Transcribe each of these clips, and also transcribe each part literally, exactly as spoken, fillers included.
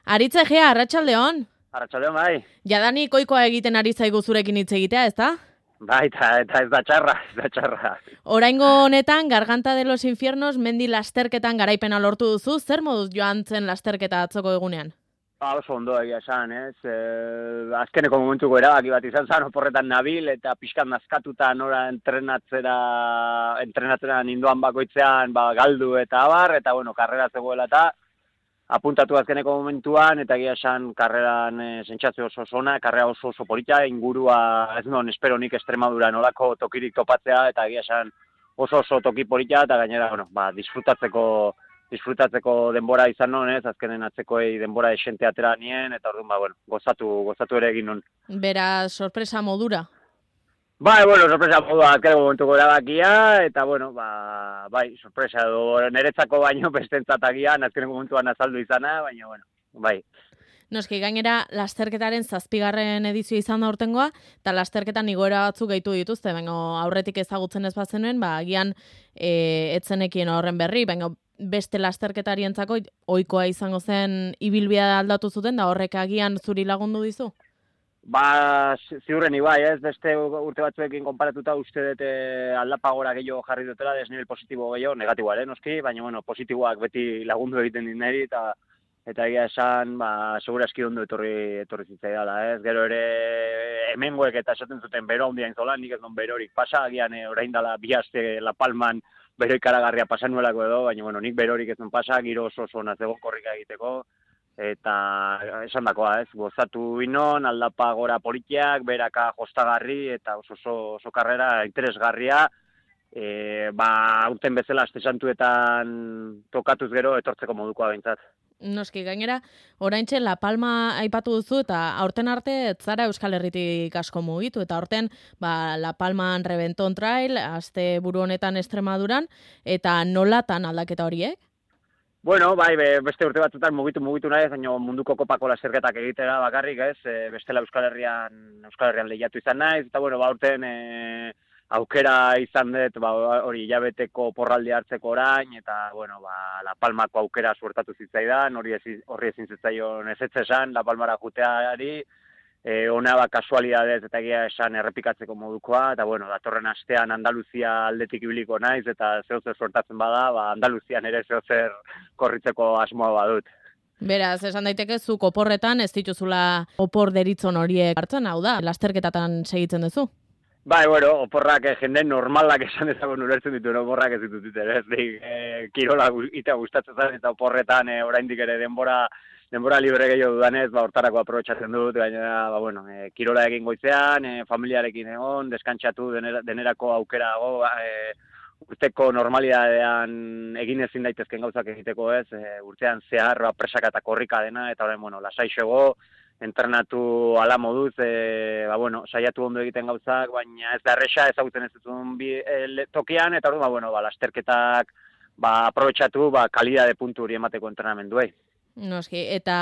Aritz Egea, arratsaldeon. Arratsaldeon bai. Jadanik ohikoa egiten ari zaigu zurekin hitz egitea, ezta? Bai, eta, eta ez da txarra, ez da txarra. Oraingo honetan, Garganta de los Infiernos mendi lasterketan garaipena lortu duzu, zer moduz joan zen lasterketa atzoko egunean? Ba, oso ondo egia esan, ez? E, azkeneko momentuko erabaki bat izan zen, oporretan nabil, eta pixkan nazkatuta nora entrenatzera, entrenatzera ninduan bakoitzean, ba, galdu eta abar, eta bueno, karrera zegoela eta apuntatu azkeneko momentuan, eta egia esan karreran e, sentsazio oso oso ona, karrera oso oso polita, ingurua ez non espero nik Extremadura nolako tokirik topatzea, eta egia esan oso oso toki polita, eta gainera, bueno, ba, disfrutatzeko disfrutatzeko denbora izan non, ez, azkenen atzekoei denbora esente atera nien, eta orduan, ba, bueno, gozatu, gozatu ere egin non. Beraz, sorpresa modura? Bai, bueno, sorpresa modua azkeneko momentuko erabakia, eta, bueno, ba, bai, sorpresa edo niretzako baino bestentzat agian, azkeneko momentuan azaldu izana, baina, bueno, bai. Noski, gainera, lasterketaren zazpigarren edizio izan da urtengoa, eta lasterketan igoera batzuk gehitu dituzte, baina aurretik ezagutzen ez bazenuen, ba, agian e, etzenekien horren berri, baina beste lasterketarientzako ohikoa izango zen ibilbidea aldatu zuten, da horrek agian zuri lagundu dizu? Ba, ziurren ibai, ez, beste urte batzuekin konparatuta uste dut aldapagora gehiago jarri dutela, desnivel positibo gehiago, negatiboa, eh, noski, baina, bueno, positiboak beti lagundu egiten dit niri, eta eta egia esan, ba, segura eski ondo etorri, etorri zitzaidala, ez, gero ere hemengoek eta esaten zuten bero handia inzola, nik ez non berorik pasa, agian e, orain dela bi aste La Palman bero ikaragarria pasan nuelako edo, baina, bueno, nik berorik ez non pasa, giro oso oso nazego korrika egiteko, eta esan dakoa, ez, gozatu inon, aldapa gora politiak, beraka jostagarri, eta oso oso, oso karrera interesgarria, e, ba, aurten bezala aste santuetan tokatuz gero etortzeko modukoa behintzat. Noski, gainera, oraintxe La Palma aipatu duzu, eta aurten arte ez zara Euskal Herritik asko mugitu, eta aurten ba, La Palman Reventon Trail, aste buru honetan Extremaduran, eta nolatan aldaketa horiek? Bueno, bai, beste urte batzutan mugitu mugitu nahi, baina munduko kopako lasterketak egitera bakarrik, ez, e, bestela Euskal Herrian, Euskal Herrian lehiatu izan naiz, eta bueno, ba, aurten e, aukera izan dut, ba, hori hilabeteko porraldi hartzeko orain, eta bueno, ba, La Palmako aukera suertatu zitzaidan, hori ezin, horri ezin zitzaion ez esan, La Palmara juteari, e, ona ba, kasualidadez eta egia esan errepikatzeko modukoa, eta bueno, datorren astean Andaluzia aldetik ibiliko naiz, eta zehozer suertatzen bada, ba, Andaluzian ere zehozer korritzeko asmoa badut. Beraz, esan daiteke zuk oporretan ez dituzula opor deritzon horiek hartzen, hau da, lasterketatan segitzen duzu? Bai, bueno, oporrak eh, jende normalak esan ezagun ulertzen ditu, oporrak ez ditut ditu, ez, dik, eh, kirola ita gustatzen zen, eta oporretan eh, oraindik ere denbora, denbora libre gehiago dudanez, ba, hortarako aprobetxatzen dut, gainera, ba, bueno, eh, kirola egin goizean, eh, familiarekin egon, deskantsatu denera, denerako aukera dago, eh, urteko normalidadean egin ezin daitezken gauzak egiteko, ez, eh, urtean zehar, ba, presaka eta korrika dena, eta orain, bueno, lasaixego, entrenatu ala moduz, e, ba, bueno, saiatu ondo egiten gauzak, baina ez da erresa ezagutzen ez dutun bi, e, tokian, eta orduan, ba, bueno, ba, lasterketak ba, aprobetxatu ba, kalidade puntu hori emateko entrenamenduei. Noski, eta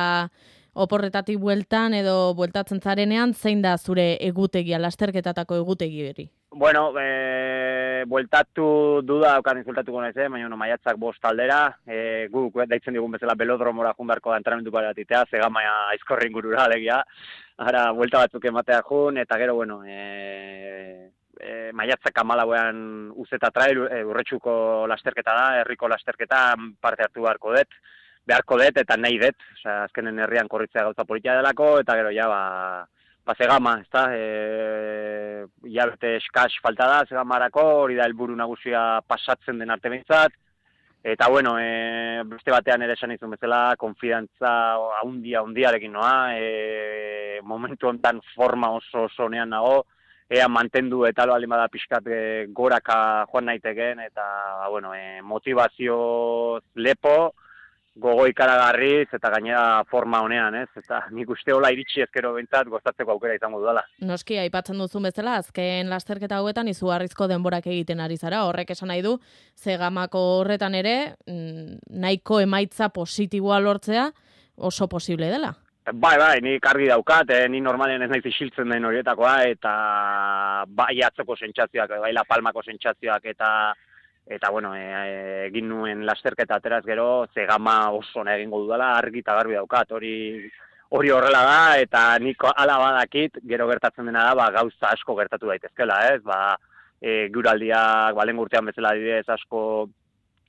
oporretatik bueltan edo bueltatzen zarenean, zein da zure egutegia, lasterketatako egutegi hori? Bueno, e, bueltatu duda okan insultatuko naiz, eh? Baina, no, maiatzak bost aldera, e, guk daitzen digun bezala belodromora jun beharko da entrenamendu baratitea, zegamaia aizkorri ingurura alegia, ara, buelta batzuk ematea jun, eta gero, bueno, e, e, maiatzak amalauean uzeta trail, e, urretxuko lasterketa da, herriko lasterketa parte hartu beharko dut, beharko dut eta nahi dut, osea, azkenen herrian korritzea gauza politia delako, eta gero, ja, ba, ba, zegama, ez da, e, hilabete eskas falta da, zegamarako, hori da helburu nagusia pasatzen den arte behintzat, eta bueno, e, beste batean ere esan izun bezala, konfidantza haundia, haundiarekin noa, e, momentu hontan forma oso oso nean nago, ea mantendu eta lo alima da pixkat e, goraka joan naiteken, eta ba, bueno, e, motivazio lepo, gogo ikaragarriz eta gainera forma honean, ez? Eta nik uste hola iritsi ezkero bentzat gozatzeko aukera izango dudala. Noski, aipatzen duzun bezala, azken lasterketa hauetan izugarrizko denborak egiten ari zara. Horrek esan nahi du, zegamako horretan ere, nahiko emaitza positiboa lortzea oso posible dela. Bai, bai, nik argi daukat, eh, ni normalen ez naiz isiltzen den horietakoa, eta bai atzoko sentsazioak, bai La Palmako sentsazioak, eta eta bueno, e, egin nuen lasterketa ateraz gero, ze gama oso ona egingo dudala, argi eta garbi daukat, hori hori horrela da, eta niko ala badakit, gero gertatzen dena da, ba, gauza asko gertatu daitezkela, ez, ba, e, guraldiak, balen urtean bezala adibidez asko,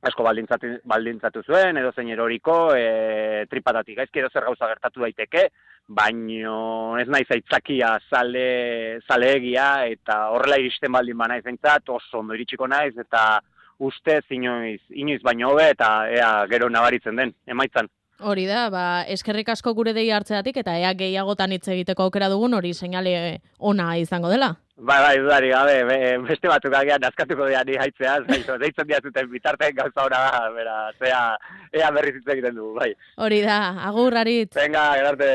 asko baldintzatu, baldintzatu zuen, edo zein eroriko, e, tripatatik gaizki edo zer gauza gertatu daiteke, baino ez naiz aitzakia zale, zaleegia, eta horrela iristen baldin ba naiz eintzat, oso ondo iritsiko naiz, eta ustez inoiz, inoiz baino hobe, eta ea gero nabaritzen den, emaitzan. Hori da, ba, eskerrik asko gure dei hartzeatik, eta ea gehiagotan hitz egiteko aukera dugun, hori seinale ona izango dela. Bai, bai, dudari gabe, be, beste batzuk agian askatuko dira ni haitzeaz, deitzen diazuten bitartean gauza hona da, bera, zea, ea berriz hitz egiten du, bai. Hori da, agur, Aritz. Venga, gerarte.